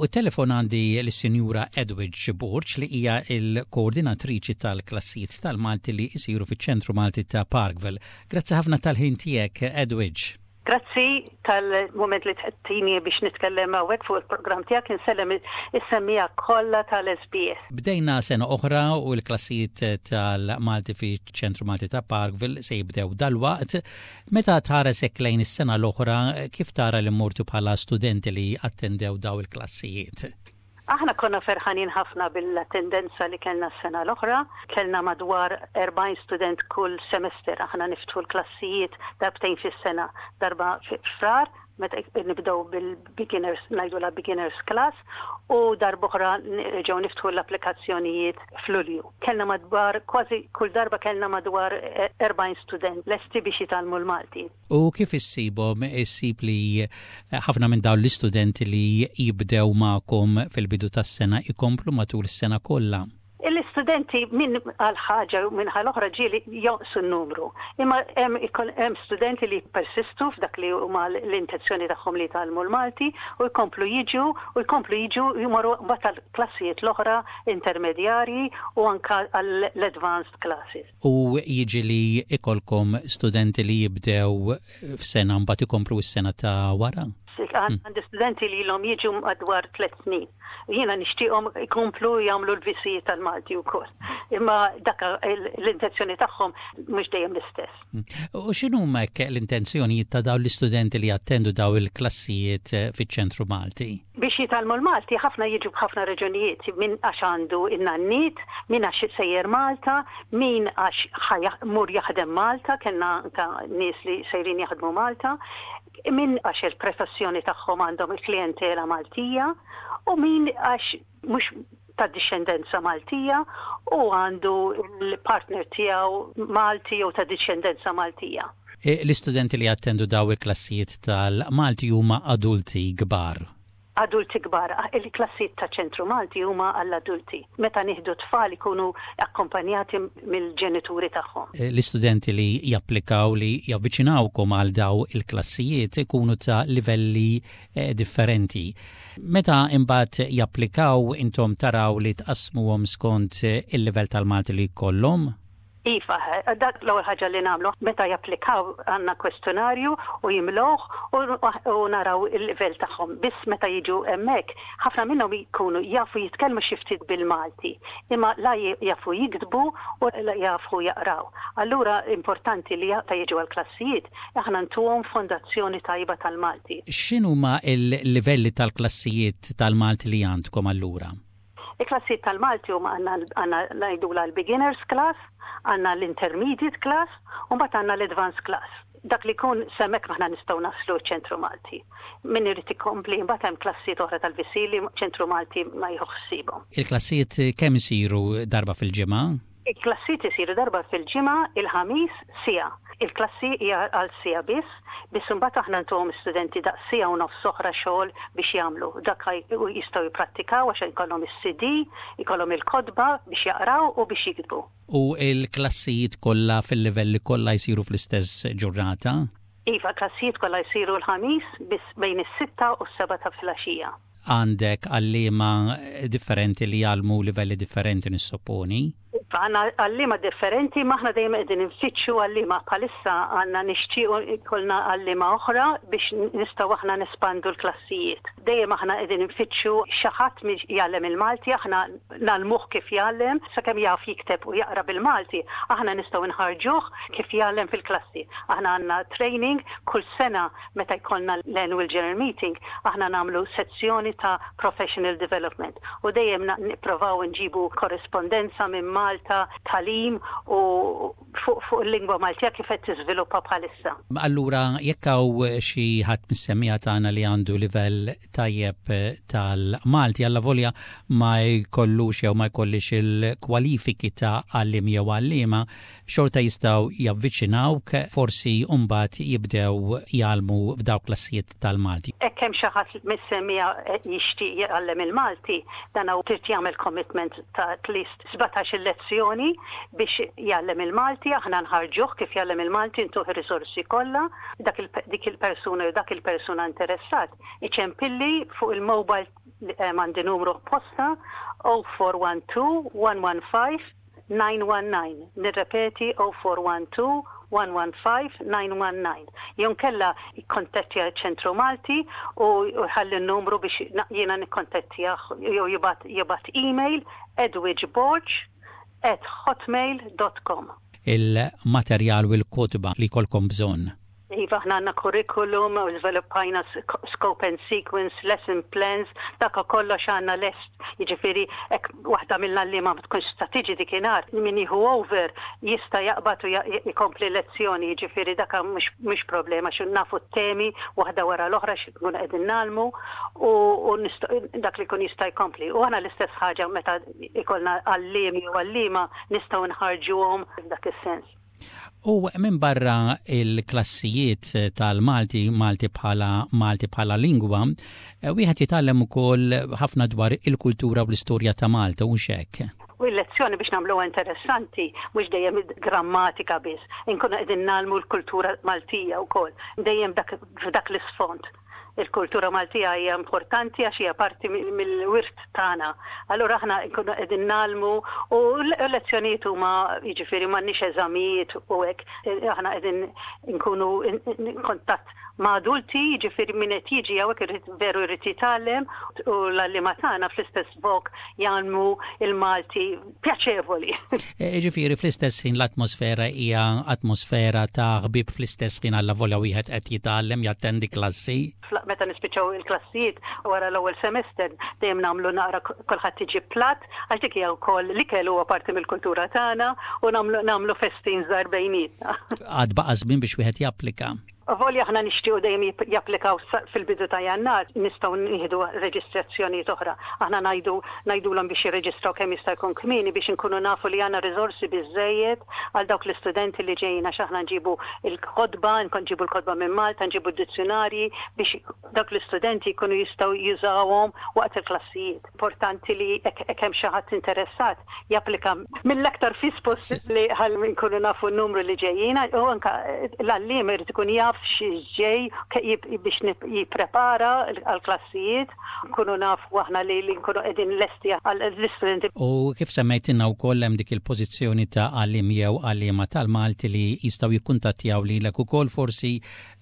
Fuq it-telefon għandi lis-Sinjura Edwidge Borg li hija l-koordinatriċi tal-klassijiet tal-Malti li jsiru fiċ-Ċentru Malti ta' Parkville. Grazzi ħafna tal-ħin tiegħek, Edwidge. Grazzi tal-mument li tini biex nitkellem hawnhekk fuq il-programm tiegħek insellem is-semmiegħa kollha tal-SBS. Bdejna sena oħra u l-klassijiet tal-Malti fiċ-Ċentru Malti ta' Parkville se jibdew dalwaqt. Meta tħares hekk lejn is-sena l-oħra, kif tara li mortu bħala studenti li attendew daw il-klassijiet? Aħna konna ferħanin ħafna bil-attendenza li kellna s-sena l-oħra. Kellna madwar 40 student kull semester. Aħna niftħu l-klassijiet darbtejn fis-sena, darba fi Frar, meta nibdew bil-beginners, ngħidulha beginners class, u darb'oħra nerġgħu niftħu l-applikazzjonijiet f'Lulju. Kellna madwar, kważi kull darba kellna madwar 40 student lesti biex jitgħallmu l-Malti. U kif issibhom? Issib li ħafna minn dawn l-istudenti li jibdew magħkom fil-bidu tas-sena jkomplu matul is-sena kollha? L-istudenti minn għal ħaġa u minn għal oħra ġieli jonqsu n-numru. Imma hemm studenti li persistu f'dak li huma l-intenzjoni tagħhom li jitgħallmu l-Malti u jkomplu jiġu u jkomplu jiġu jmorru mbagħad għall-klassijiet l-oħra intermedjarji u anke għall-advanced classes. U jiġi li ikollkom studenti li jibdew f'sena mbagħad ikomplu s-sena ta' wara? Għandi studenti li ilhom jiġu madwar 3 snin. Jiena nixtieqhom ikomplu jagħmlu l-VC tal-Malti wkoll. Imma dak l-intenzjoni tagħhom mhux dejjem l-istess. U x'inhuma hekk l-intenzjonijiet ta' dawn l-istudenti li jattendu dawn il-klassijiet fiċ-Ċentru Malti? Biex jitgħallmu l-Malti ħafna jiġu b'ħafna raġunijiet, min għax għandu in-nanniet, min għax sejjer Malta, min għax ħa mur jaħdem Malta, kellna anka nies li sejrin jaħdmu Malta, min għax il-professjoni tagħhom għandhom il-klijentela Maltija, u min għax mhux ta' dixxendenza Maltija u għandu l-partner tiegħu Malti jew ta' dixxendenza Maltija. L-istudenti li jattendu daw il-klassijiet tal-Malti huma adulti kbar? Adulti kbar. Il-klassijiet ta' Ċentru Malti huma għall-adulti. Meta nieħdu tfal ikunu akkompanjati mill-ġenituri tagħhom. L-istudenti li japplikaw li javviċinawkom għal daw il-klassijiet ikunu ta' livelli differenti. Meta imbagħad japplikaw intom taraw li tqassmuhom skont il-livell tal-Malti li jkollhom? Iva, dak l-ewwel ħaġa li nagħmlu. Meta japplikaw għandna kwestjonarju u jimlewh u naraw il-livell tagħhom. Biss meta jiġu hemmhekk, ħafna minnhom jkunu jafu jitkellmu xi ftit bil-Malti, imma la jafu jiktbu u la jafu jaqraw. Allura importanti li meta jiġu għall-klassijiet, aħna ntuhom fondazzjoni tajba tal-Malti. X'inhuma l-livelli tal-klassijiet tal-Malti li għandkom allura? Il-klassijiet tal-Malti huma għandna ngħidulha l-beginners class, għandna l-intermediate class u mbagħad għandna l-advanced class. Dak li jkun s'hemmhekk aħna nistgħu naslu ċ-Ċentru Malti. Min irid ikompli mbagħad hemm klassijiet oħra tal-VC li ċentru Malti ma jieħu ħsiebhom. Il-klassijiet kemm isiru darba fil-ġimgħa? Il-klassijiet isiru darba fil-ġimgħa, il-Ħamis, siegħa. Il-klassi hija għal siegħa biss, biss imbagħad aħna ntuhom studenti daqs siegħa u nofs oħra xogħol biex jagħmlu. Dak jistgħu jipprattikaw għax ikollhom is-CD, ikollhom il-kotba biex jaqraw u biex jiktbu. U l-klassijiet kollha fil-livelli kollha jsiru fl-istess ġurnata? Iva, klassijiet kollha jsiru l-Ħamis biss bejn is-6 u s-7 ta' filgħaxija. Għandek għalliema differenti li jgħallmu livelli differenti nissopponi? Iva, għandna għalliema differenti, ma aħna dejjem qegħdin infittxu għalliema. Bħalissa għandna nixtiequ ikollna għalliema oħra biex nistgħu aħna nespandu l-klassijiet. Dejjem aħna qegħdin infittxu xi ħadd jgħallem il-Malti, aħna ngħallmuh kif jgħallem, sakemm jaf jikteb u jaqra bil-Malti, aħna nistgħu nħarġuh kif jgħallem fil-klassi. Aħna għandna training kull sena meta jkollna l-annual general meeting, aħna nagħmlu sezzjoni ta' professional development u dejjem nipprovaw nġibu korrispondenza minn Malta, tagħlim u fuq fuq il-lingwa Maltija kif qed tiżviluppa bħalissa. Allura jekk hawn xi ħadd mis-semmiegħa tagħna li għandu livell tajjeb tal-Malti allavolja ma jkollux jew ma jkollix il-kwalifiki ta' għalliem jew għalliema, xorta jistgħu javviċinawk, forsi mbagħad jibdew jgħallmu f'dawk klassijiet tal-Malti. Hekk hemm xi ħadd mis-semmiegħa jixtieq jgħallem il-Malti, dan trid jagħmel commitment ta' at least 17-il lezzjoni biex jgħallem il-Malti, aħna nħarġuh kif jgħallem il-Malti, ntuh ir-risorsi kollha, dak dik il-persuna jew dak il-persuna interessat iċempilli fuq il-mobile. għandi numru apposta 0412 115 919. Nirrepeti 0412 115 919. Jew inkella jikkontattja ċ-Ċentru Malti u jħalli n-numru biex jiena nikkontattjah jew jibgħat jibgħat email edwidgeborg at hotmail dot com. Il-materjal u l-kotba li jkollkom bżonn. Iva, aħna għandna curriculum, u żviluppajna scope and sequence, lesson plans, dak kollox għandna lest. Jiġifieri hekk waħda mill-għalliema ma tkunx tista' tiġi dikinhar, min jieħu over jista' jaqbad u jkompli lezzjoni, jiġifieri dak mhux problema xi nafu t-temi waħda wara l-oħra xi nkunu qegħdin ngħallmu u dak li jkun jista' jkompli. U aħna l-istess ħaġa meta ikollna għalliem jew għalliema nistgħu nħarġuhom f'dak is-sens. U minbarra il-klassijiet tal-Malti, Malti bħala Malti bħala lingwa, eh, wieħed jitgħallem ukoll ħafna dwar il-kultura u l-istorja ta' Malta u hekk. U l-lezzjoni biex nagħmluha interessanti, mhux dejjem grammatika biss, inkunu qegħdin nagħmlu l-kultura Maltija wkoll, dejjem f'dak l-isfond. Il-kultura Maltija hija importanti għax hija parti mill-wirt tagħna. Allura aħna nkunu qegħdin nagħlmu u l-lezzjonijiet huma jiġifieri m'għandniex eżamijiet u hekk aħna qegħdin nkunu kontatt ma' adulti, jiġifieri min qed jiġi hawnhekk irid veru jrid jitgħallem u l-għalliema tagħna fl-istess vok jgħallmu il-Malti pjaċevoli. E, ġifieri fl-istess ħin l-atmosfera hija atmosfera ta' ħbieb fl-istess ħin alla volja wieħed qed jitgħallem jattendi klassi. Meta nispiċċaw il-klassijiet wara l-ewwel semester dejjem nagħmlu naqra kulħadd iġib platt għax dik hija wkoll l-ikel huwa parti mill-kultura tagħna u nagħmlu nagħmlu festin żgħar bejnietna. Għad baqa' żmien biex wieħed japplika. Avolja aħna nixtiequ dejjem japplikaw fil-bidu ta' Jannar, nistgħu nieħdu reġistrazzjonijiet oħra. Aħna ngħidu ngħidulhom biex jirreġistraw kemm jista' jkun kmieni biex inkunu nafu li għandna riżorsi biżżejjed għal dawk l-istudenti li ġejjin għax aħna nġibu l-kotba, nġibu l-kotba minn Malta, nġibu d-dizzjunarji biex dawk l-istudenti jkunu jistgħu jużawhom waqt il-klassijiet. Importanti li hekk hemm xi ħadd interessat japplika mill-aktar fis possibbli ħalli nkunu nafu n-numru li ġejjin u anke l-għalliem irid ikun jaf x'ġej biex jipprepara għall-klassijiet, nkunu nafu aħna li nkunu qegħdin lesti għall-istudenti. U kif semmejtilna wkoll hemm dik il-pożizzjoni ta' għalliem jew għalliema tal-Malti li jistgħu jikkuntattjaw lilek ukoll forsi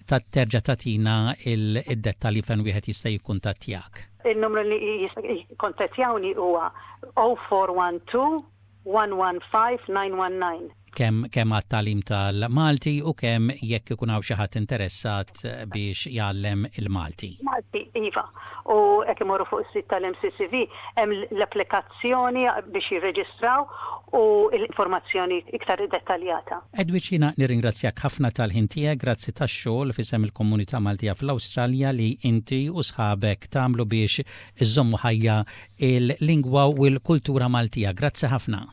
ta' terġa' tagħtina id-dettalji fejn wieħed jista' jikkuntattjak. Il-numru li jikkontattjawni huwa 0412 115 919. Kemm kemm għat-tagħlim tal-Malti u kemm jekk ikun hawn xi ħadd interessat biex jgħallem il-Malti. Malti, iva. U hekk imorru fuq is-sit tal-MCCV hemm l-applikazzjoni biex jirreġistraw u l-informazzjoni iktar dettaljata. Edwidge jiena nirringrazzjak ħafna tal-ħin tiegħek, grazzi tax-xogħol f'isem il-komunità Maltija fl-Awstralja li inti u sħabek tagħmlu biex iżżommu ħajja il-lingwa u l-kultura Maltija. Grazzi ħafna.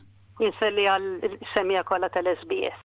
Inselli għall-semmiegħa kollha tal-SBS.